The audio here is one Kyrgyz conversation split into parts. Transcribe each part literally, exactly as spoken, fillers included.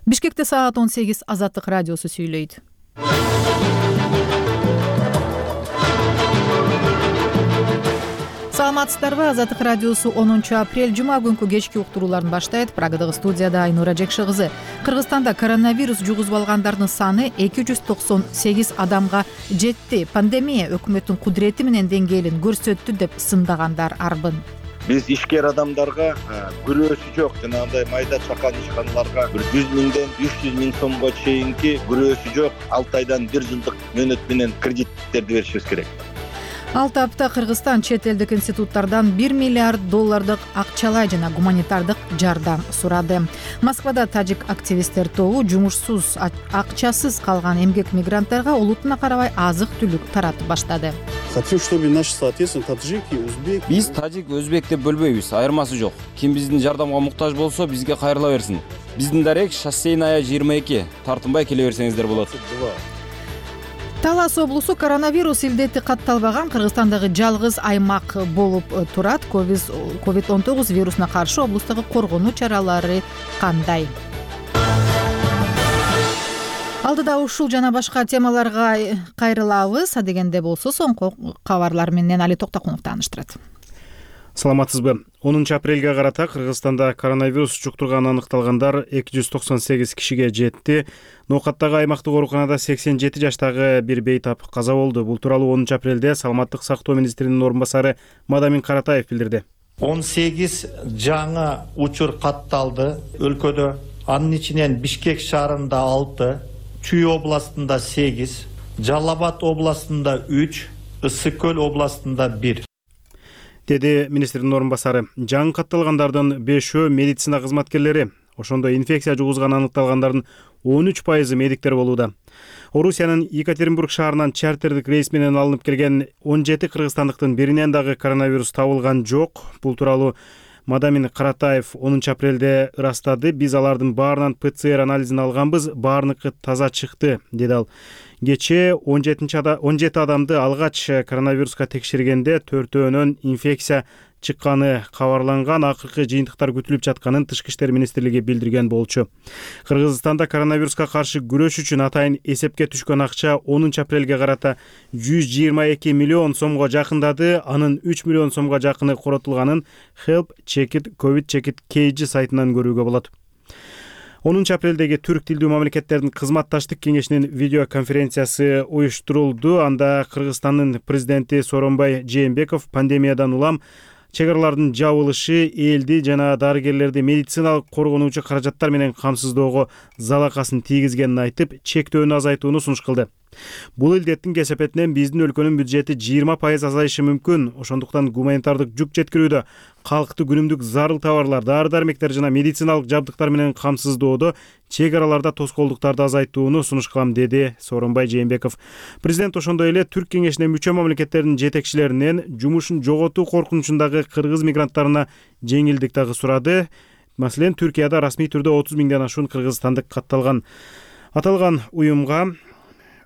Бишкекте саат он сегиз. Азаттык радиосу сүйлөйт. Саламатсыздарбы? Азаттык радиосу онунчу апрель жума күнкү кечки уктурууларын баштайт. Прагадагы студияда Айнура Жекши кызы. Кыргызстанда коронавирус жугузуп алгандардын саны эки жүз токсон сегиз адамга жетти. Пандемия өкмөттүн кудурети менен деңгээлин көрсөттү деп сындагандар арбын. Биз ишкер адамдарга күрөөсү жок жанагындай майда чакан ишканаларга бир жүз миңден үч жүз миң сомго чейинки күрөөсү жок алты айдан бир жылдык мөөнөт менен кредиттерди беришибиз керек. Алты апта Кыргызстан чет элдик институттардан бир миллиард доллардык акчалай жана гуманитардык жардам сурады. Москвада тажик активисттер тобу жумушсуз, акчасыз калган эмгек мигранттарга улутуна карабай азык-түлүк таратып баштады. Хотим, чтобы наши соответственно таджики, узбек. Биз тажик, өзбек деп бөлбөйбүз, айырмасы жок. Ким биздин жардамга муктаж болсо, бизге кайрыла берсин. Биздин дарек шоссейная жыйырма эки. Тартынбай келе берсеңиздер болот. Талас облусу коронавирус илдети катталбаган Кыргызстандагы жалгыз аймак болуп турат. ковид он тогуз вирусуна каршы облустагы коргонуу чаралары кандай? Алдыда ушул жана башка темаларга кайрылабыз. Адегенде болсо соңку кабарлар менен Али Токтокунов тааныштырат. Саламатсызбы? онунчу апрелге карата Кыргызстанда коронавирус жуктурганы аныкталгандар эки жүз токсон сегиз кишиге жетти. Ноокаттагы аймактык ооруканада сексен жети жаштагы бир бейтап каза болду. Бул тууралуу онунчу апрелде Саламаттык сактоо министринин орун басары Мадамин Каратаев билдирди. он сегиз жаңы учур катталды өлкөдө. Анын ичинен Бишкек шаарында алты, Чүй областында сегиз, Жалал Абад областында үч, Ысык Көл областында бир. Деди министрдин орун басары. Жаңы катталгандардын бешөө медицина кызматкерлери. Ошондой инфекция жугузганы аныкталгандардын он үч пайызы медиктер болууда. Орусиянын Екатеринбург шаарынан чартердик рейс менен алынып келген он жети кыргызстандыктын биринен дагы коронавирус табылган жок. Бул тууралуу Мадамин Каратаев онунчу апрелде ырастады. Биз алардын баарынан ПЦР анализин алганбыз, баарыныкы таза чыкты, деди ал. Кечээ он жети адамды алгач коронавируска текшергенде төртөөнөн инфекция чыкканы кабарланган. Акыркы жыйынтыктар күтүлүп жатканын Тышкы иштер министрлиги билдирген болчу. Кыргызстанда коронавируска каршы күрөш үчүн атайын эсепке түшкөн акча онунчу апрелге карата жүз жыйырма эки миллион сомго жакындады. Анын үч миллион сомго жакыны коротулганын Help Check It COVID Check It кей жи сайтынан көрүүгө болот. онунчу апрелдеги түрк тилдүү мамлекеттердин кызматташтык кеңешинин видеоконференциясы уюштурулду. Анда Кыргызстандын президенти Сооронбай Жээнбеков пандемиядан улам чек аралардын жабылышы элди жана дарыгерлерди медициналык коргонуучу каражаттар менен камсыздоого залакасын тийгизгенин айтып, чектөөнү азайтууну сунуш кылды. Бул илдеттин кесепетинен биздин өлкөнүн бюджети жыйырма пайыз азайышы мүмкүн. Ошондуктан гуманитардык жүк жеткирүүдө, калкты күнүмдүк зарыл товарлар, дары-дармектер жана медициналык жабдыктар менен камсыздоодо чек араларда тоскоолдуктарды азайтууну сунуш кылам, деди Сооронбай Жээнбеков. Президент ошондой эле Түрк кеңешине мүчө мамлекеттердин жетекчилеринен жумушун жоготуу коркунучундагы кыргыз мигранттарына жеңилдик дагы сурады. Маселен, Түркияда расмий түрдө отуз миңден ашуун кыргызстандык катталган. Аталган уюмга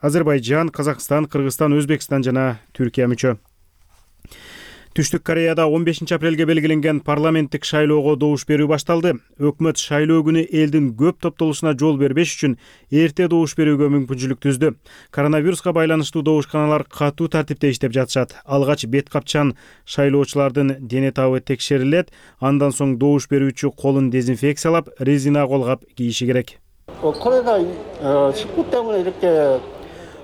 Азербайжан, Казакстан, Кыргызстан, Өзбекстан жана Түркия мүчө. Түштүк Кореяда он бешинчи апрелге белгиленген парламенттик шайлоого добуш берүү башталды. Өкмөт шайлоо күнү элдин көп топтолушуна жол бербеш үчүн эрте добуш берүүгө мүмкүнчүлүк түздү. Коронавируска байланыштуу добушканалар катуу тартипте иштеп жатышат. Алгач бет капчан шайлоочулардын дене табы текшерилет. Андан соң добуш берүүчү колун дезинфекциялап, резина колгап кийиши керек.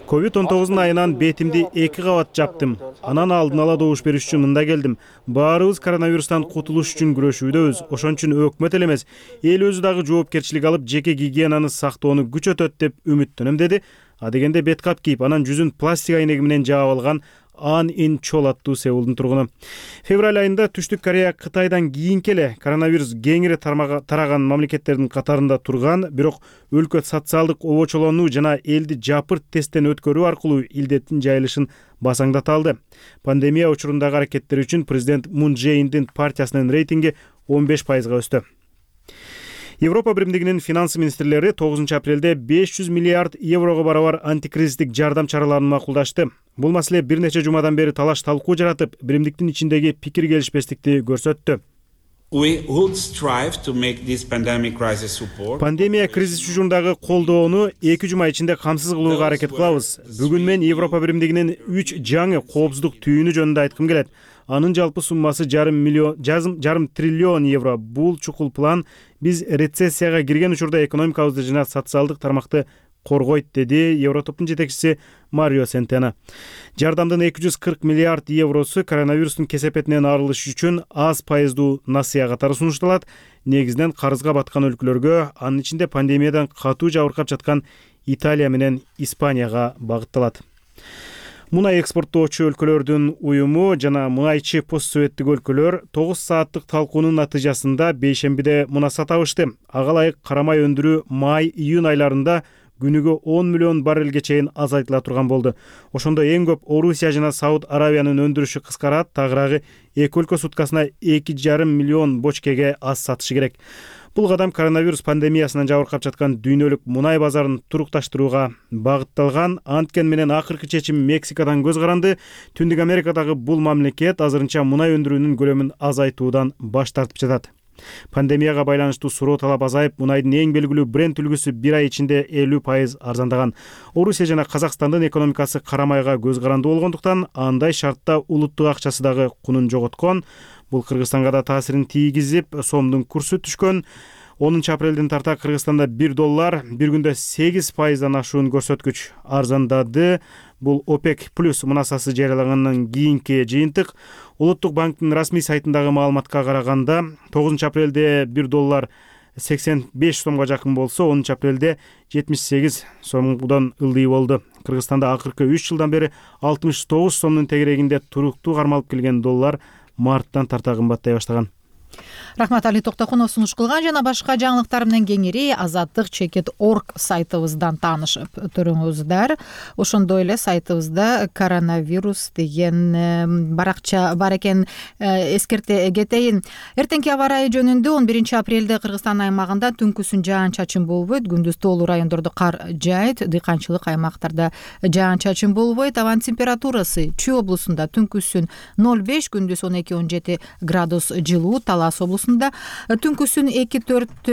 ковид он тогуздун айынан бетимди эки кабат жаптым. Анан алдын ала добуш бериш үчүн мында келдим. Баарыбыз коронавирустан кутулуш үчүн күрөшүүдөбүз. Ошон үчүн өкмөт эле эмес, эл өзү дагы жоопкерчилик алып, жеке гигиенаны сактоону күчөтөт деп үмүттөнөм, деди. Адегенде бет кап кийип, анан жүзүн пластик айнеги менен жаап алган Ан Ин Чол аттуу Сеулдун тургуну. Февраль айында Түштүк Корея Кытайдан кийинки эле коронавирус кеңири тараган мамлекеттердин катарында турган, бирок өлкө социалдык обочолонуу жана элди жапырт тесттен өткөрүү аркылуу илдеттин жайылышын басаңдата алды. Пандемия учурундагы аракеттери үчүн президент Мун Чже Индин партиясынын рейтинги он беш пайызга өстү. Европа биримдигинин финанс министрлери тогузунчу апрелде беш жүз миллиард еврого барабар антикризистик жардам чараларын макулдашты. Бул маселе бир нече жумадан бери талаш талкуу жаратып, биримдиктин ичиндеги пикир келишпестикти көрсөттү. We would strive to make this pandemic crisis support. Пандемия кризиси учурундагы колдоону эки жума ичинде камсыз кылууга аракет кылабыз. Бүгүн мен Европа биримдигинин үч жаңы коопсуздук түйүнү жөнүндө айткым келет. Анын жалпы суммасы жарым миллион, жарым триллион евро. Бул чукул план биз рецессияга кирген учурда экономикабызды жана социалдык тармакты коргойт, деди Евротоптун жетекчиси Марио Сентена. Жардамдын эки жүз кырк миллиард евросу коронавирустун кесепетинен арылыш үчүн аз пайыздуу насыя катары сунушталат. Негизинен карызга баткан өлкөлөргө, анын ичинде пандемиядан катуу жабыркап жаткан Италия менен Испанияга багытталат. Мунай экспорттоочу өлкөлөрдүн уюму жана мунайчы постсоветтик өлкөлөр тогуз сааттык талкуунун натыйжасында бейшембиде мунаса табышты. Ага ылайык карамай өндүрүү май-июнь айларында күнүгө он миллион баррелге чейин азайтыла турган болду. Ошондо эң көп Орусия жана Сауд Аравиянын өндүрүшү кыскарат, тагыраагы эки өлкө суткасына эки жарым миллион бочкеге аз сатышы керек. Бул кадам коронавирус пандемиясынан жабыркап жаткан дүйнөлүк мунай базарын турукташтырууга багытталган. Анткен менен акыркы чечим Мексикадан көз каранды. Түндүк Америкадагы бул мамлекет азырынча мунай өндүрүүнүн көлөмүн азайтуудан баш тартып жатат. Пандемияга байланыштуу суроо талап азайып, мунайдын эң белгилүү бренд үлгүсү бир ай ичинде элүү пайыз арзандаган. Орусия жана Казакстандын экономикасы карамайга көз каранды болгондуктан, андай шартта улуттук акчасы дагы кунун жоготкон. Бул Кыргызстанга да таасирин тийгизип, сомдун курсу түшкөн. онунчу апрелден тарта Кыргызстанда бир доллар бир күндө сегиз пайыздан ашуун көрсөткүч арзандады. Бул ОПЕК плюс мунасасы жарыялагандан кийинки жыйынтык. Улуттук банктын расмий сайтындагы маалыматка караганда, тогузунчу апрелде бир доллар сексен беш сомго жакын болсо, онунчу апрелде жетимиш сегиз сомдон ылдый болду. Кыргызстанда акыркы үч жылдан бери алтымыш тогуз сомдун тегерегинде туруктуу кармалып келген доллар марттан тарта кымбаттай баштаган. Рахмат, Али Токтокунов сунуш кылган. Жана башка жаңылыктар менен кеңири азаттык чекит точка орг сайтыбыздан таанышып туруңуздар. Ошондой эле сайтыбызда коронавирус деген баракча бар экен. Эскерте кетейин. Эртеңки аба ырайы жөнүндө он биринчи апрелде Кыргызстан аймагында түнкүсүн жаан-чачын болбойт, күндүз тоолуу райондордо кар жаайт, дыйканчылык аймактарда жаан-чачын болбойт. Абанын температурасы Чүй облусунда түнкүсүн ноль беш, күндүз он эки он жети градус жылуу, Талас облусунда түнкүсүн эки төрт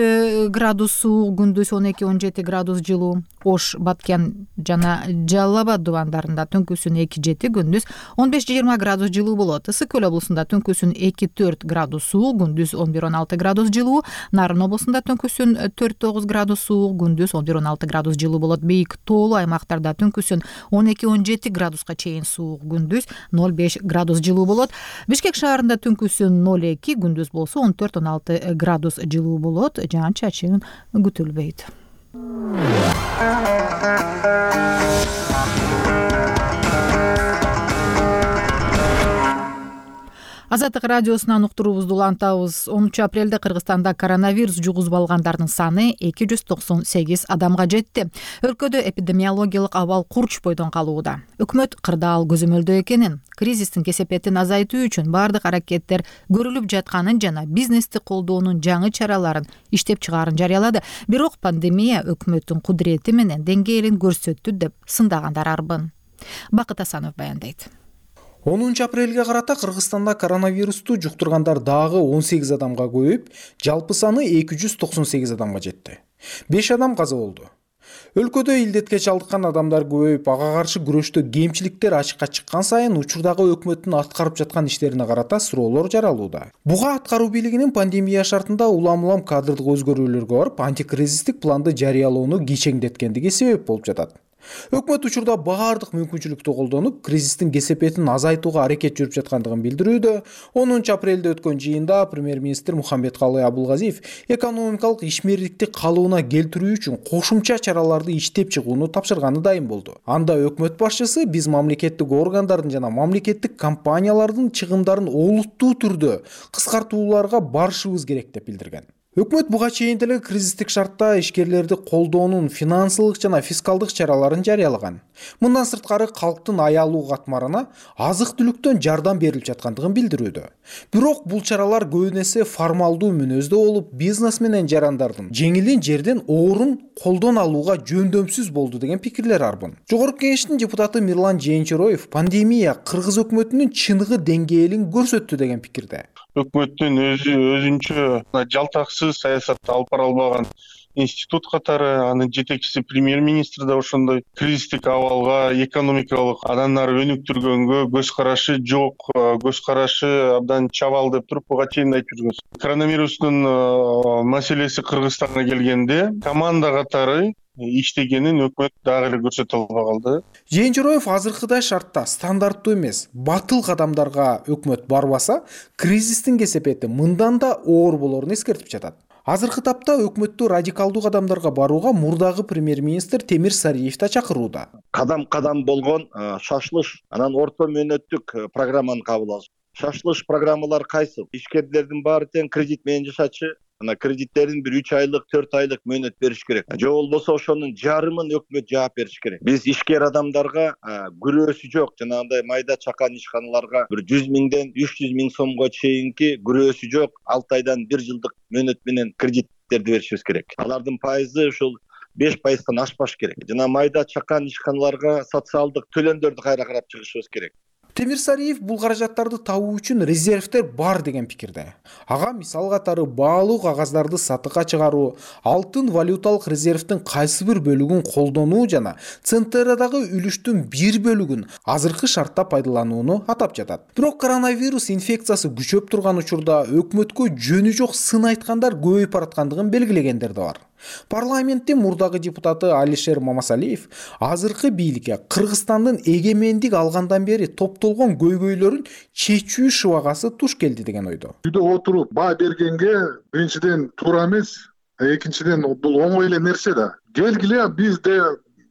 градус суук, күндүз он эки он жети градус жылуу. Ош, Баткен жана Жалал Абад дубандарында түнкүсүн эки жети, күндүз он беш жыйырма градус жылуу болот. Ысык Көл облусунда түнкүсүн эки төрт градус суук, күндүз он бир он алты градус жылуу. Нарын облусунда түнкүсүн төрт тогуз градус суук, күндүз он бир он алты градус жылуу болот. Бийик тоолуу аймактарда түнкүсүн он эки он жети градуска чейин суук, күндүз ноль беш градус жылуу болот. Бишкек шаарында түнкүсүн ноль эки, күндүз болсо он төрт он алты градус жылуу болот. Жаан-чачын күтүлбөйт. Азаттык радиосунан уктуруубузду улантабыз. онунчу апрелде Кыргызстанда коронавирус жугузуп алгандардын саны эки жүз токсон сегиз адамга жетти. Өлкөдө эпидемиологиялык абал курч бойдон калууда. Өкмөт кырдаал көзөмөлдөө экенин, кризистин кесепетин азайтуу үчүн бардык аракеттер көрүлүп жатканын жана бизнести колдоонун жаңы чараларын иштеп чыгаарын жарыялады. Бирок пандемия өкмөттүн кудурети менен деңгээлин көрсөттү деп сындагандар арбын. Бакыт Асанов баяндайт. онунчу апрелге карата Кыргызстанда коронавирусту жуктургандар дагы он сегиз адамга көбөйүп, жалпы саны эки жүз токсон сегиз адамга жетти. беш адам каза болду. Өлкөдө илдетке чалдыккан адамдар көбөйүп, ага каршы күрөштө кемчиликтер ачыкка чыккан сайын учурдагы өкмөттүн аткарып жаткан иштерине карата суроолор жаралууда. Буга аткаруу бийлигинин пандемия шартында улам-улам кадрдык өзгөрүүлөргө барып, антикризистик планды жарыялоону кичеңдеткендиги себеп болуп жатат. Өкмөт учурда баардык мүмкүнчүлүктү колдонуп, кризистин кесепетин азайтууга аракет жүрүп жаткандыгын билдирүүдө. онунчу апрелде өткөн жыйында премьер-министр Мухаммедкалый Абулгазиев экономикалык ишмердикти калыбына келтирүү үчүн кошумча чараларды иштеп чыгууну тапшырганы дайым болду. Анда өкмөт башчысы биз мамлекеттик органдардын жана мамлекеттик компаниялардын чыгымдарын олуттуу түрдө кыскартууларга барышыбыз керек деп билдирген. Өкмөт буга чейин деле кризистик шартта ишкерлерди колдоонун финансылык жана фискалдык чараларын жарыялаган. Мындан сырткары калктын аялуу катмарына азык-түлүктөн жардам берилип жаткандыгын билдирүүдө. Бирок бул чаралар көбүн эсе формалдуу мүнөздө болуп, бизнес менен жарандардын жеңилин жерден оорун колдон алууга жөндөмсүз болду деген пикирлер арбын. Жогорку кеңештин депутаты Мирлан Жээнчороев пандемия Кыргыз өкмөтүнүн чыныгы деңгээлин көрсөттү деген пикирде. өкмөттүн өзү өзүнчө жалтаксыз саясат алып бара албаган институт катары, анын жетекчиси премьер-министр да ошондой кризистик абалга, экономикалык андан ары өнүктүргөнгө көз карашы жок, көз карашы абдан чабал деп туруп буга чейин айтып жүргөнбүз. Коронавирустун маселеси Кыргызстанга келгенде команда катары иштегенин өкмөт дагы эле көрсөтө албай калды. Жээнжероев азыркыдай шартта стандарттуу эмес, батыл кадамдарга өкмөт барбаса, кризистин кесепети мындан да оор болорун эскертип жатат. Азыркы тапта өкмөттү радикалдуу кадамдарга барууга мурдагы премьер-министр Темир Сариев да чакырууда. Кадам-кадам болгон шашылыш, анан орто мөөнөттүк программаны кабыл алыш. Шашылыш программалар кайсы? Ишкерлердин баары тең кредит менен жашачы. Ана кредиттерин бир үч айлык, төрт айлык мөөнөт бериш керек. Же болбосо ошонун жарымын өкмөт жаап бериш керек. Биз ишкер адамдарга күрөөсү жок, жанагындай майда чакан ишканаларга бир жүз миңден үч жүз миң сомго чейинки күрөөсү жок алты айдан бир жылдык мөөнөт менен кредиттерди беришибиз керек. Алардын пайызы ушул беш пайыздан ашпаш керек. Жана майда чакан ишканаларга социалдык төлөмдөрдү кайра карап чыгышыбыз керек. Темир Сариев бул каражаттарды табуу үчүн резервдер бар деген пикирде. Ага мисал катары баалуу кагаздарды сатыкка чыгаруу, алтын валюталык резервдин кайсы бир бөлүгүн колдонуу жана центрдагы үлүштүн бир бөлүгүн азыркы шартта пайдаланууну атап жатат. Бирок коронавирус инфекциясы күчөп турган учурда өкмөткө жөнү жок сын айткандар көбөйүп бараткандыгын белгилегендер да бар. Парламенттин мурдагы депутаты Алишер Мамасалиев азыркы бийликке Кыргызстандын эгемендик алгандан бери топтолгон көйгөйлөрүн чечүү шыбагасы туш келди деген ойдо. Үйдө отуруп баа бергенге биринчиден туура эмес, экинчиден бул оңой эле нерсе да. Келгиле бизде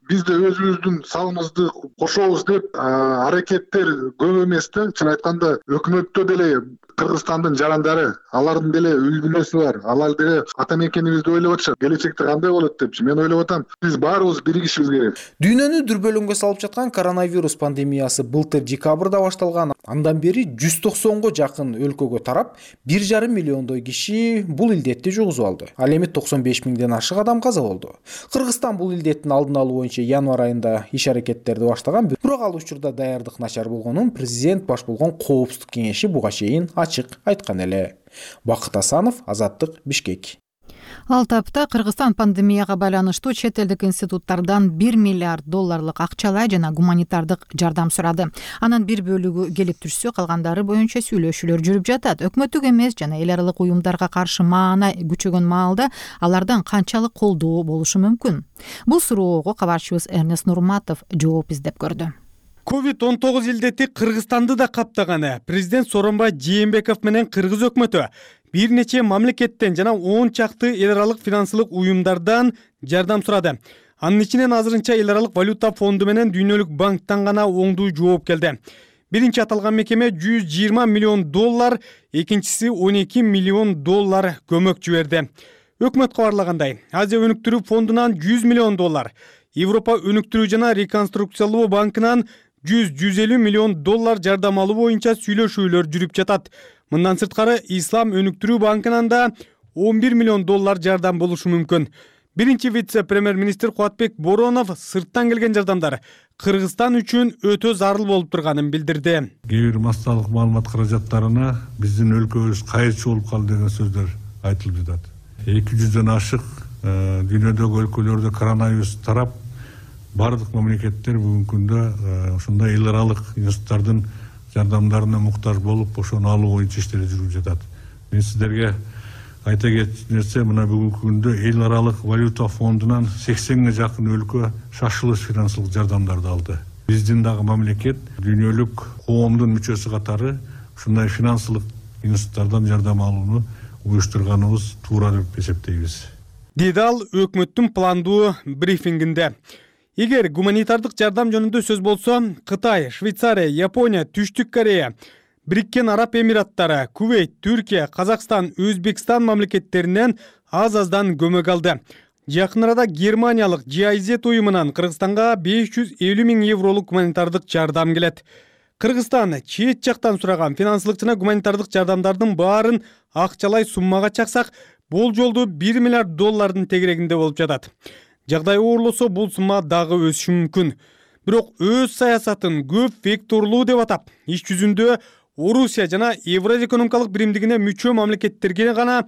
бизде өзүбүздүн салымызды кошобуз деп аракеттер көп эмес да. Чын айтканда өкмөттө деле Кыргызстандын жарандары, алардын деле үй бүлөсү бар. Алар деле ата мекенибизди ойлоп атышат. Келечекте кандай болот депчи. Мен ойлоп атам, биз баарыбыз биригишибиз керек. Дүйнөнү дүрбөлөңгө салып жаткан коронавирус пандемиясы былтыр декабрда башталган. Андан бери жүз токсонго жакын өлкөгө тарап, бир жарым миллиондой киши бул илдетти жугузуп алды. Ал эми токсон беш миңден ашык адам каза болду. Кыргызстан бул илдеттин алдын алуу боюнча январь айында иш аракеттерди баштаган, бирок ал учурда даярдык начар болгонун президент баш болгон коопсуздук кеңеши буга чейин ачык айткан эле. Бакыт Асанов, Азаттык, Бишкек. Ал тапта Кыргызстан пандемияга байланыштуу чет элдик институттардан бир миллиард долларлык акчалай жана гуманитардык жардам сурады. Анын бир бөлүгү келип түшсө, калгандары боюнча сүйлөшүүлөр жүрүп жатат. Өкмөттүк эмес жана эл аралык уюмдарга каршы маана күчөгөн маалда алардан канчалык колдоо болушу мүмкүн? Бул суроого кабарчыбыз Эрнест Нурматов жооп издеп көрдү. ковид он тогуз илдети Кыргызстанды да каптаганы. Президент Сооронбай Жээнбеков менен Кыргыз өкмөтү бир нече мамлекеттен жана он чакты эл аралык финансылык уюмдардан жардам сурады. Анын ичинен азырынча эл аралык валюта фонду менен Дүйнөлүк банктан гана оңдуу жооп келди. Биринчи аталган мекеме жүз жыйырма миллион доллар, экинчиси он эки миллион доллар көмөк жиберди. Өкмөт кабарлагандай, Азия өнүктүрүү фондунан жүз миллион доллар, Европа өнүктүрүү жана реконструкциялоо банкынан жүз жүз элүү миллион доллар жардам алуу боюнча сүйлөшүүлөр жүрүп жатат. Мындан сырткары Ислам өнүктүрүү банкынан да он бир миллион доллар жардам болушу мүмкүн. Биринчи вице-премьер-министр Кубатбек Боронов сырттан келген жардамдар Кыргызстан үчүн өтө зарыл болуп турганын билдирди. Кээ бир массалык маалымат каражаттарына биздин өлкөбүз кайырчы болуп калды деген сөздөр айтылып жатат. эки жүздөн ашык дүйнөдөгү өлкөлөрдө коронавирус тарап, бардык мамлекеттер бүгүнкү күндө ушундай эл аралык институттардын жардамдарына муктаж болуп, ошону алуу боюнча иштер жүрүп жатат. Мен сиздерге айта кетчү нерсе, мына бүгүнкү күндө эл аралык валюта фондунан сексенге жакын өлкө шашылыш финансылык жардамдарды алды. Биздин дагы мамлекет дүйнөлүк коомдун мүчөсү катары ушундай финансылык институттардан жардам алууну уюштурганыбыз туура деп эсептейбиз. Деди ал өкмөттүн пландуу брифингинде. Эгер гуманитардык жардам жөнүндө сөз болсо, Кытай, Швейцария, Япония, Түштүк Корея, Бириккен Араб Эмираттары, Кувейт, Түркия, Казакстан, Өзбекстан мамлекеттеринен аз-аздан көмөк алды. Жакын арада Германиялык джи ай зет уюмунан Кыргызстанга беш жүз элүү миң евролук гуманитардык жардам келет. Кыргызстан чет жактан сураган финансылык жана гуманитардык жардамдардын баарын акчалай суммага чаксак, болжолду бир миллиард доллардын тегерегинде болуп жатат. Жагдай оорлосо бул сумма дагы өсүшү мүмкүн. Бирок өз саясатын көп векторлуу деп атап, иш жүзүндө Орусия жана Евразия экономикалык биримдигине мүчө мамлекеттерге гана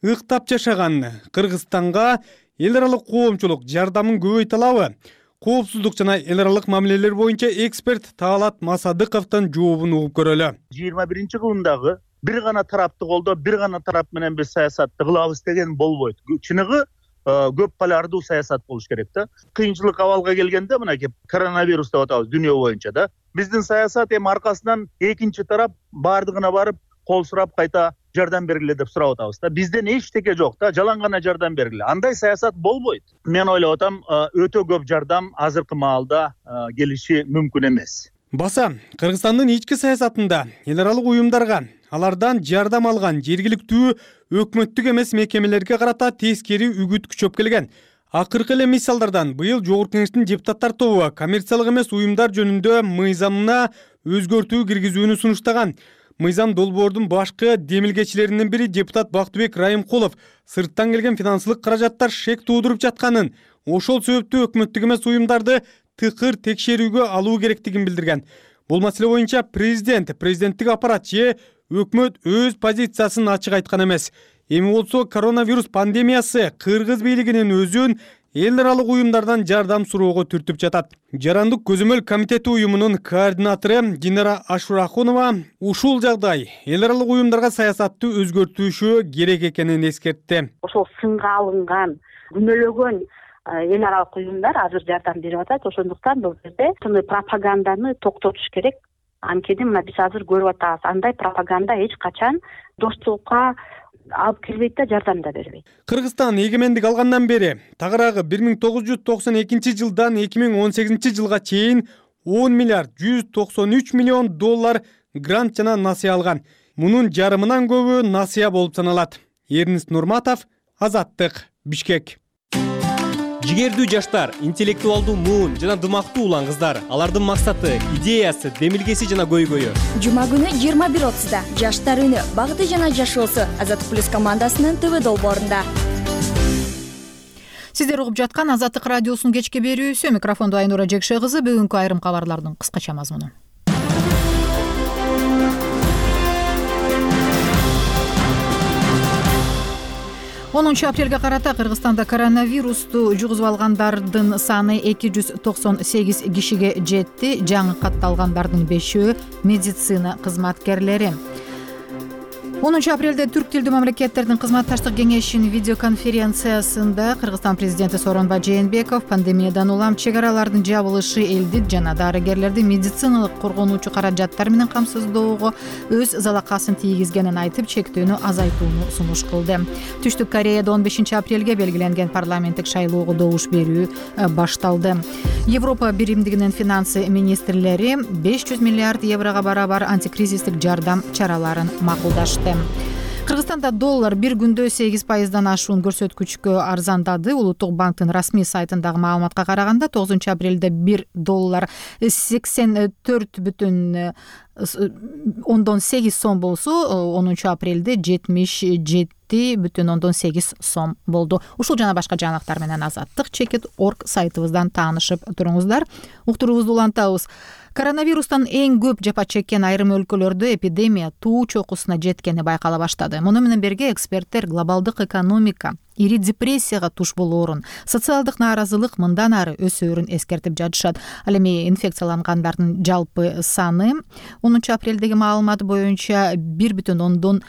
ыктап жашаган Кыргызстанга эл аралык коомчулук жардамын көбөйтө алабы? Коопсуздук жана эл аралык мамилелер боюнча эксперт Таалат Масадыковдун жообун угуп көрөлү. жыйырма биринчи кылымдагы бир гана тарапты колдоо, бир гана тарап менен биз саясатты кылабыз деген болбойт. Чыныгы көп полярдуу саясат болуш керек да. Кыйынчылык абалга келгенде мынакей коронавирус деп атабыз дүйнө боюнча да. Биздин саясат эми аркасынан экинчи тарап бардыгына барып кол сурап кайта жардам бергиле деп сурап атабыз да. Бизден эчтеке жок да, жалаң гана жардам бергиле. Андай саясат болбойт. Мен ойлоп атам, өтө көп жардам азыркы маалда келиши мүмкүн эмес. Баса, Кыргызстандын ички саясатында эл аралык уюмдарга, алардан жардам алган жергиликтүү өкмөттүк эмес мекемелерге карата тескери үгүт күчөп келген. Акыркы эле мисалдардан быйыл Жогорку Кеңештин депутаттар тобу коммерциялык эмес уюмдар жөнүндө мыйзамына өзгөртүү киргизүүнү сунуштаган. Мыйзам долбоордун башкы демилгечилеринин бири депутат Бактыбек Райымкулов сырттан келген финансылык каражаттар шек туудуруп жатканын, ошол себептүү өкмөттүк эмес уюмдарды тыкыр текшерүүгө алуу керектигин билдирген. Бул маселе боюнча президент, президенттик аппарат же өкмөт өз позициясын ачык айткан эмес. Эми болсо коронавирус пандемиясы Кыргыз бийлигинин өзүн эл аралык уюмдардан жардам суроого түртүп жатат. Жарандык көзөмөл комитети уюмунун координатору Динара Ашурахунова ушул жагдай эл аралык уюмдарга саясатты өзгөртүшү керек экенин эскертти. Ошол сынга алынган, күнөөлөгөн эл аралык уюмдар азыр жардам берип атат. Ошондуктан бул жерде ушундай пропаганданы токтотуш керек. Анткени мына биз азыр көрүп атабыз, андай пропаганда эч качан достукка алып келбейт да, жардам да бербейт. Кыргызстан эгемендик алгандан бери тагыраагы бир миң тогуз жүз токсон экинчи жылдан эки миң он сегизинчи жылга чейин он миллиард жүз токсон үч миллион доллар грант жана насыя алган. Мунун жарымынан көбү насыя болуп саналат. Эрнис Нурматов, Азаттык, Бишкек. Жигердүү жаштар, интеллектуалдуу муун жана дымактуу улан кыздар. Алардын максаты, идеясы, демилгеси жана көйгөйү. Жума күнү жыйырма бир отузда Жаштар үнү, багыты жана жашоосу Азаттык плюс командасынын ТВ долбоорунда. Сиздер угуп жаткан Азаттык радиосунун кечки берүүсү. Микрофондо Айнура Жекше кызы. Бүгүнкү айрым кабарлардын кыскача мазмуну. онунчу апрелге карата Кыргызстанда коронавирусту жугузуп алгандардын саны эки жүз токсон сегиз кишиге жетти. Жаңы катталгандардын бешөө медицина кызматкерлери. онунчу апрелде Түрк тилдүү мамлекеттердин кызматташтык кеңешинин видеоконференциясында Кыргызстан президенти Сооронбай Жээнбеков пандемиядан улам чек аралардын жабылышы элди жана дарыгерлерди медициналык коргонуучу каражаттар менен камсыздоого өз залакасын тийгизгенин айтып, чектөөнү азайтууну сунуш кылды. Түштүк Кореяда он бешинчи апрелге белгиленген парламенттик шайлоого добуш берүү башталды. Европа биримдигинин финансы министрлери беш жүз миллиард еврого барабар антикризистик жардам чараларын макулдашты. Кыргызстанда доллар бир күндө сегиз пайыздан ашуун көрсөткүчкө арзандады. Улуттук банктын расмий сайтындагы маалыматка караганда тогузунчу апрелде бир доллар сексен төрт бүтүн ондон сегиз сом болсо, онунчу апрелде жетимиш жети бүтүн ондон сегиз сом болду. Ушул жана башка жаңылыктар менен Азаттык чекит точка орг сайтыбыздан таанышып туруңуздар. Уктуруубузду улантабыз. Коронавирустан эң көп жапа чеккен айрым өлкөлөрдө эпидемия туу чокусуна жеткени байкала баштады. Муну менен бирге эксперттер глобалдык экономика ири депрессияга туш болоорун, социалдык нааразылык мындан ары өсөөрүн эскертип жатышат. Ал эми инфекциялангандардын жалпы саны онунчу апрелдеги маалымат боюнча бир бүтүн ондон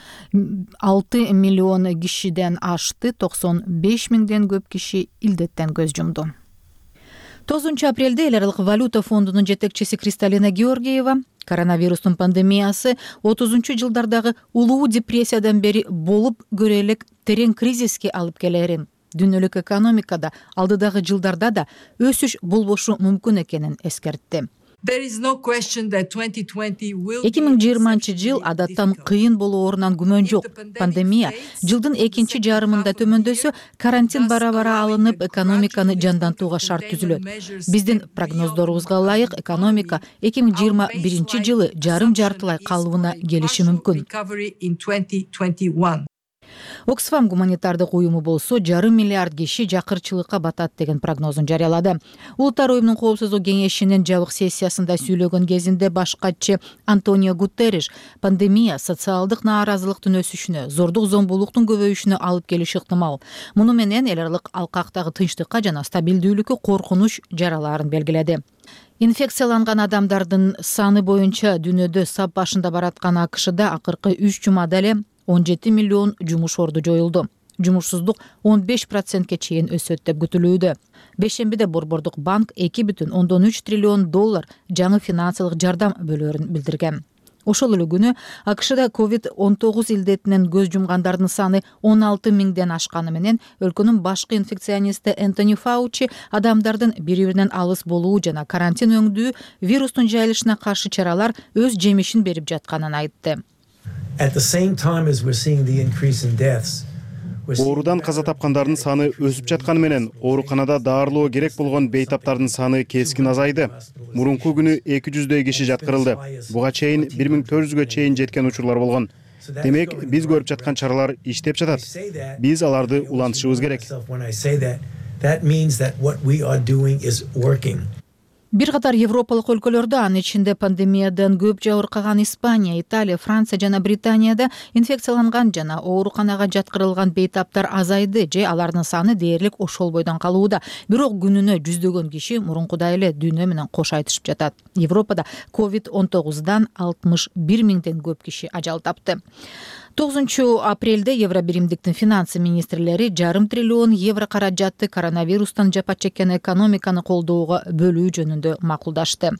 алты миллион кишиден ашты, токсон беш миңден көп киши илдеттен көз жумду. тогузунчу апрелде эл аралык валюта фондунун жетекчиси Кристалина Георгиева коронавирустун пандемиясы отузунчу жылдардагы улуу депрессиядан бери болуп көрө элек терең кризиске алып келерин, дүйнөлүк экономикада алдыдагы жылдарда да өсүш болбошу мүмкүн экенин эскертти. эки миң жыйырманчы жыл адаттан кыйын болоорунан күмөн жок. Пандемия жылдын экинчи жарымында төмөндөсө, карантин бара-бара алынып, экономиканы жандантууга шарт түзүлөт. Биздин прогноздорубузга ылайык, экономика эки миң жыйырма биринчи жылы жарым жартылай калыбына келиши мүмкүн. Оксфам гуманитардык уюму болсо жарым миллиард киши жакырчылыкка батат деген прогнозун жарыялады. Улуттар уюмунун коопсуздук кеңешинин жабык сессиясында сүйлөгөн кезинде баш катчы Антонио Гутерриш пандемия социалдык нааразылыктын өсүшүнө, зордук зомбулуктун көбөйүшүнө алып келиши ыктымал. Муну менен эл аралык алкактагы тынчтыкка жана стабилдүүлүккө коркунуч жаралаарын белгиледи. Инфекцияланган адамдардын саны боюнча дүйнөдө сап башында бараткан АКШда акыркы үч жумада эле он жети миллион жумуш орду жоюлду. Жумушсуздук он беш процентке чейин өсөт деп күтүлүүдө. Бешембиде Борбордук банк эки бүтүн ондон үч триллион доллар жаңы финансылык жардам бөлөрүн билдирген. Ошол эле күнү АКШда ковид он тогуз илдетинен көз жумгандардын саны он алты миңден ашканы менен өлкөнүн башкы инфекционисти Энтони Фаучи адамдардын бири-биринен алыс болуу жана карантин өңдүү вирустун жайылышына каршы чаралар өз жемишин берип жатканын айтты. Оорудан каза тапкандардын саны өсүп жатканы менен ооруканада даарылоо керек болгон бейтаптардын саны кескин азайды. Мурунку күнү эки жүздөй киши жаткырылды. Буга чейин бир миң төрт жүзгө чейин жеткен учурлар болгон. Демек, биз көрүп жаткан чаралар иштеп жатат. Биз аларды улантышыбыз керек. Бир катар европалык өлкөлөрдө, анын ичинде пандемиядан көп жабыркаган Испания, Италия, Франция жана Британияда инфекцияланган жана ооруканага жаткырылган бейтаптар азайды же алардын саны дээрлик ошол бойдон калууда. Бирок күнүнө жүздөгөн киши мурункудай эле дүйнө менен кош айтышып жатат. Европада ковид он тогуздан алтымыш бир миңден көп киши ажал тапты. тогузунчу апрелде Евробиримдиктин финансы министрлери жарым триллион евро каражатты коронавирустан жапа чеккен экономиканы колдоого бөлүү жөнүндө макулдашты.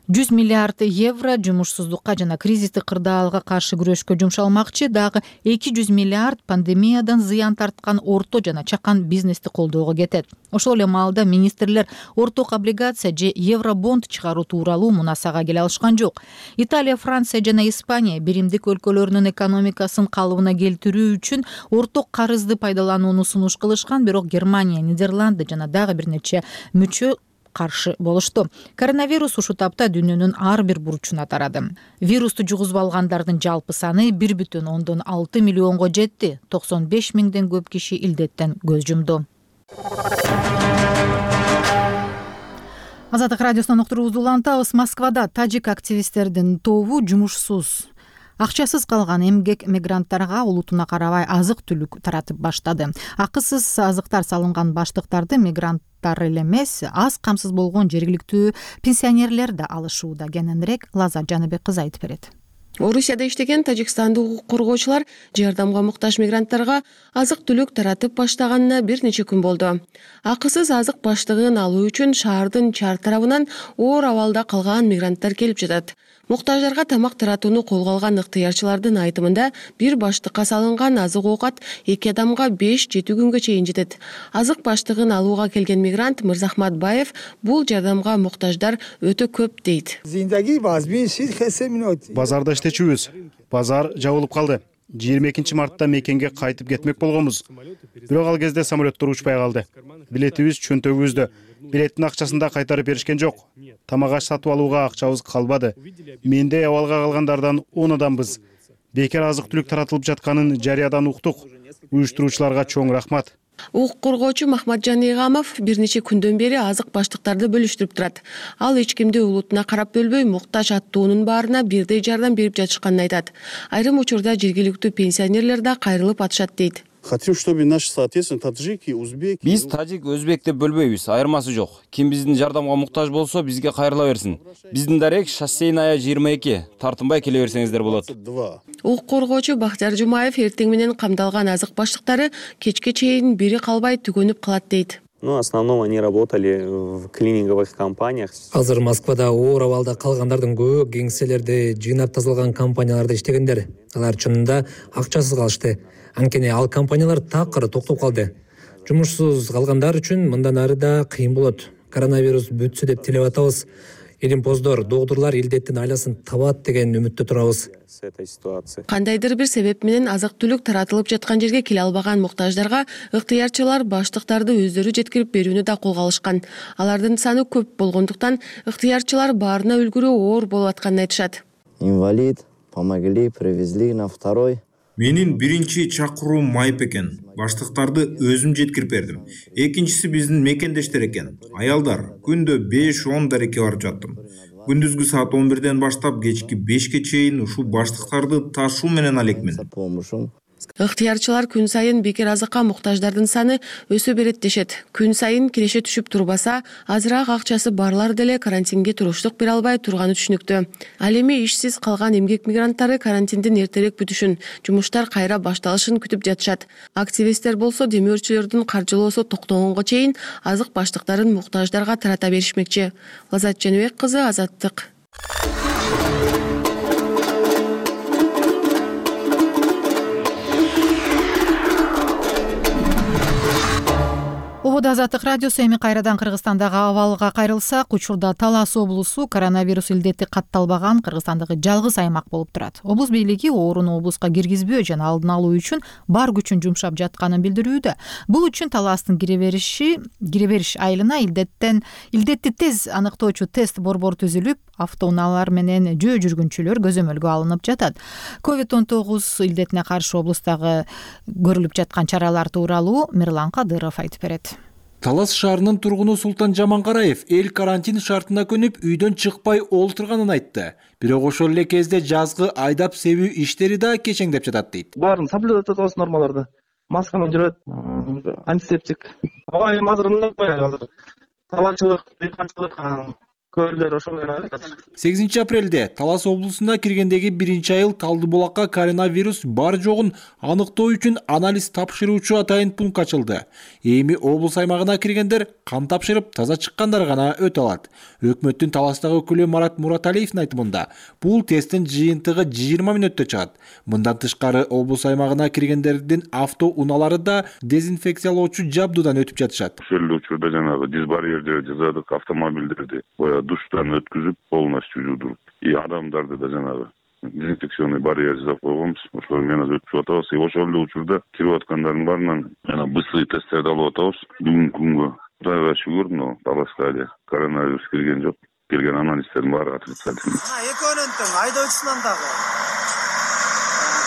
жүз миллиард евро жумушсуздукка жана кризистик кырдаалга каршы күрөшкө жумшалмакчы, дагы эки жүз миллиард пандемиядан зыян тарткан орто жана чакан бизнести колдоого кетет. Ошол эле маалда министрлер орток облигация же евробонд чыгаруу тууралуу мунасага келе алышкан жок. Италия, Франция жана Испания биримдик өлкөлөрүнүн экономикасын калыбына келтирүү үчүн орток карызды пайдаланууну сунуш кылышкан, бирок Германия, Нидерланды жана дагы бир нече мүчө каршы болушту. Коронавирус ушул тапта дүйнөнүн ар бир бурчуна тарады. Вирусту жугузуп алгандардын жалпы саны бир бүтүн ондон алты миллионго жетти. токсон беш миңден көп киши илдеттен көз жумду. Азаттык радиосунан уктуруубузду улантабыз. Москвада тажик активисттердин тобу жумушсуз, акчасыз калган эмгек мигранттарга улутуна карабай азык-түлүк таратып баштады. Акысыз азыктар салынган баштыктарды мигранттар эле эмес, аз камсыз болгон жергиликтүү пенсионерлер да алышууда. Кененирээк Лаза Жаныбек кызы айтып берет. Орусияда иштеген тажикстандык укук коргоочулар жардамга муктаж мигранттарга азык-түлүк таратып баштаганына бир нече күн болду. Акысыз азык баштыгын алуу үчүн шаардын чар тарабынан оор абалда калган мигранттар келип жатат. Муктаждарга тамак таратууну колго алган ыктыярчылардын айтымында бир баштыкка салынган азык-оокат эки адамга беш жети күнгө чейин жетет. Азык баштыгын алууга келген мигрант Мырзахмат Баев бул жардамга муктаждар өтө көп дейт. Базарда иштечүбүз. Базар жабылып калды. жыйырма экинчи мартта мекенге кайтып кетмек болгонбуз. Бирок ал кезде самолеттор учпай калды. Билетибиз чөнтөгүбүздө. Билеттин акчасын да кайтарып беришкен жок. Тамак аш сатып алууга акчабыз калбады. Мендей абалга калгандардан он адамбыз. Бекер азык-түлүк таратылып жатканын жарыядан уктук. Уюштуруучуларга чоң рахмат. Укук коргоочу Махматжан Игамов бир нече күндөн бери азык баштыктарды бөлүштүрүп турат. Ал эч кимди улутуна карап бөлбөй, муктаж аттуунун баарына бирдей жардам берип жатышканын айтат. Айрым учурда жергиликтүү пенсионерлер да кайрылып атышат дейт. Хотим, чтобы наши, соответственно, таджики, узбеки... Биз тажик, өзбек деп бөлбөйбүз, айырмасы жок. Ким биздин жардамга муктаж болсо, бизге кайрыла берсин. Биздин дарек шоссейная жыйырма эки. Тартынбай келе берсеңиздер болот. Укук коргоочу Бактияр Жумаев эртең менен камдалган азык баштыктары кечке чейин бири калбай түгөнүп калат дейт. Ну, в основном они работали в клининговых компаниях. Азыр Москвада оор абалда калгандардын көбү кеңселерде жыйнап тазалган компанияларда иштегендер. Алар чынында акчасыз калышты. Анткени ал компаниялар такыр токтоп калды. Жумушсуз калгандар үчүн мындан ары да кыйын болот. Коронавирус бүтсө деп тилеп атабыз. Илимпоздор, доктурлар илдеттин айласын табат деген үмүттө турабыз. Кандайдыр бир себеп менен азык-түлүк таратылып жаткан жерге келе албаган муктаждарга ыктыярчылар баштыктарды өздөрү жеткирип берүүнү да колго алышкан. Алардын саны көп болгондуктан ыктыярчылар баарына үлгүрүү оор болуп атканын айтышат. Инвалид, помогли, привезли на второй. Менин биринчи чакыруум майып экен. Баштыктарды өзүм жеткирип бердим. Экинчиси биздин мекендештер экен. Аялдар күндө беш он дарекке барып жаттым. Күндүзгү саат он бирден баштап кечки бешке чейин ушул баштыктарды ташуу менен алекмин. Ыктыярчылар күн сайын бекер азыкка муктаждардын саны өсө берет дешет. Күн сайын киреше түшүп турбаса, азыраак акчасы барлар деле карантинге туруштук бере албай турганы түшүнүктүү. Ал эми ишсиз калган эмгек мигранттары карантиндин эртерээк бүтүшүн, жумуштар кайра башталышын күтүп жатышат. Активисттер болсо демөөрчүлөрдүн каржылоосу токтогонго чейин азык баштыктарын муктаждарга тарата беришмекчи. Лазат Жаныбек кызы, Азаттык. Обода Азаттык радиосу. Эми кайрадан Кыргызстандагы абалга кайрылсак, учурда Талас облусу коронавирус илдети катталбаган Кыргызстандагы жалгыз аймак болуп турат. Облус бийлиги ооруну облуска киргизбөө жана алдын алуу үчүн бар күчүн жумшап жатканын билдирүүдө. Бул үчүн Таластын кире бериши, кире бериш айылына илдеттен илдетти тез аныктоочу тест борбор түзүлүп, автоунаалар менен жөө жүргүнчүлөр көзөмөлгө алынып жатат. ковид он тогуз илдетине каршы облустагы көрүлүп жаткан чаралар тууралуу Мирлан Кадыров айтып берет. Талас шаарынын тургуну Султан Жаманкараев эл карантин шартына көнүп үйдөн чыкпай олтурганын айтты. Бирок ошол эле кезде жазгы айдап себүү иштери да кечеңдеп жатат дейт. Баарын соблюдать этебиз нормаларды. Маска менен жүрөт, антисептик. Ага эми азыр мындай азыр. Таланчылык, дыйканчылык көөлдөр ошол менен жатат. сегизинчи апрелде Талас облусуна киргендеги биринчи айыл Талды булакка коронавирус бар жогун аныктоо үчүн анализ тапшыруучу атайын пункт ачылды. Эми облус аймагына киргендер кан тапшырып таза чыккандар гана өтө алат. Өкмөттүн Таластагы өкүлү Марат Мураталиевдин айтымында, бул тесттин жыйынтыгы жыйырма мүнөттө чыгат. Мындан тышкары облус аймагына киргендердин автоунаалары да дезинфекциялоочу жабдуудан өтүп жатышат. Ошол учурда жанагы диз барьерди жасадык, автомобилдерди душтан өткүзүп, полностью жуудуруп, и адамдарды да жанагы дезинфекционный барьер жасап койгонбуз. Ошол менен өтүп атабыз. И ошол эле учурда кирип аткандардын баарынан жана быстрый тесттерди алып атабыз. Бүгүнкү күнгө Кудайга шүгүр, но Таласка эле коронавирус кирген жок. Келген анализдердин баары отрицательный. Мына экөөнүн тең айдоочусунан дагы,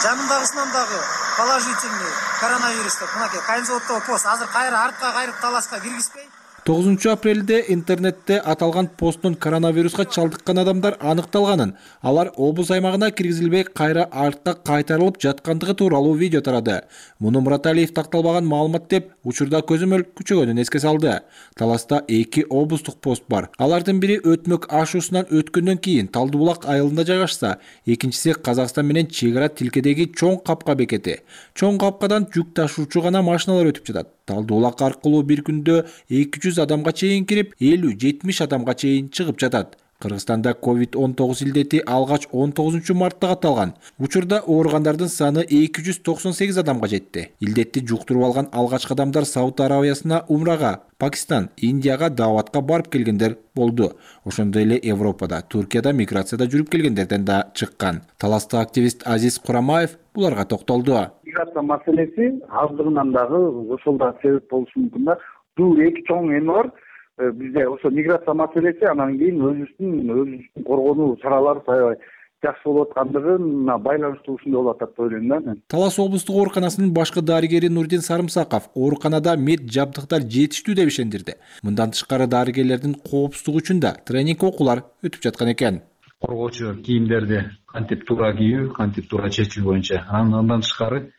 жанындагысынан дагы положительный коронавирус деп мынакей Кайынзаводдогу пост азыр кайра артка кайрып Таласка киргизбей. тогузунчу апрелде интернетте аталган посттун коронавируска чалдыккан адамдар аныкталганын, алар облус аймагына киргизилбей кайра артка кайтарылып жаткандыгы тууралуу видео тарады. Муну Мураталиев такталбаган маалымат деп учурда көзөмөл күчөгөнүн эске салды. Таласта эки облустук пост бар. Алардын бири өтмөк ашуусунан өткөндөн кийин Талды булак айылында жайгашса, экинчиси Казакстан менен чек ара тилкедеги чоң капка бекети. Чоң капкадан жүк ташуучу гана машиналар өтүп жатат. Талды булак аркылуу бир күндө эки жүз адамга чейин кирип, элүү жетимиш адамга чейин чыгып жатат. Кыргызстанда ковид он тогуз илдети алгач он тогузунчу мартта катталган. Учурда ооругандардын саны эки жүз токсон сегиз адамга жетти. Илдетти жуктуруп алган алгачкы адамдар Сауд Арабиясына умрага, Пакистан, Индияга дааватка барып келгендер болду. Ошондой эле Европада, Туркияда миграцияда жүрүп келгендерден да чыккан. Таластык активист Азиз Курамаев буларга токтолду. Миграция маселеси аздыгынан дагы ошол да себеп болушу мүмкүн да. Бул эки чоң эме бар. Бизде ошо миграция маселеси, анан кийин өзүбүздүн өзүбүздүн коргонуу чаралары аябай жакшы болуп аткандыгына байланыштуу ушундай болуп атат деп ойлойм да мен. Талас облустук ооруканасынын башкы дарыгери Нурдин Сарымсаков ооруканада мед жабдыктар жетиштүү деп ишендирди. Мындан тышкары дарыгерлердин коопсуздугу үчүн да тренинг окуулар өтүп жаткан экен. Коргоочу кийимдерди кантип туура кийүү, кантип туура чечүү боюнча, андан тышкары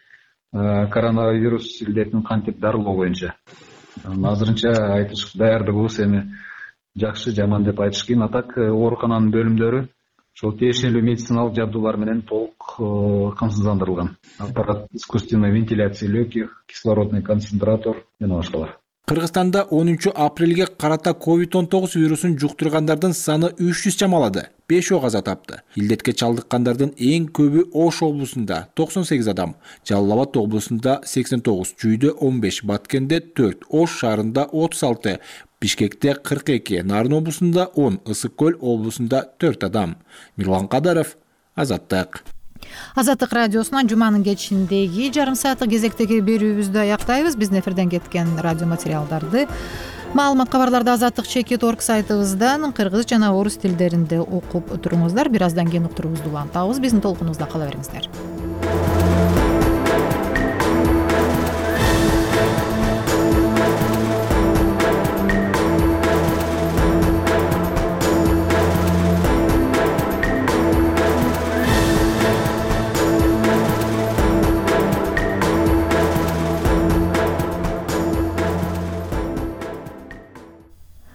коронавирус илдетин кантип дарылоо боюнча. Азырынча айтыш даярдыгыбыз эми жакшы, жаман деп айтыш кыйын. Атак оорукананын бөлүмдөрү ошол тиешелүү медициналык жабдуулар менен толук камсыздандырылган. Аппарат искусственной вентиляции легких, кислородный концентратор жана башкалар. Кыргызстанда онунчу апрелге карата ковид он тогуз вирусун жуктургандардын саны үч жүз чамалады. бешөө каза тапты. Илдетке чалдыккандардын эң көбү Ош облусунда токсон сегиз адам, Жалал Абад облусунда сексен тогуз, Чүйдө он беш, Баткенде төрт, Ош шаарында отуз алты, Бишкекте кырк эки, Нарын облусунда он, Ысык көл облусунда төрт адам. Мирлан Кадаров, Азаттык. Азаттык радиосунан жуманын кечиндеги жарым сааттык кезектеги берүүбүздү аяктайбыз. Биздин эфирден кеткен радио материалдарды маалымат кабарларды азаттык чекит точка орг сайтыбыздан кыргыз жана орус тилдеринде окуп туруңуздар. Бир аздан кийин уктуруубузду улантабыз. Биздин толкунубузда кала бериңиздер.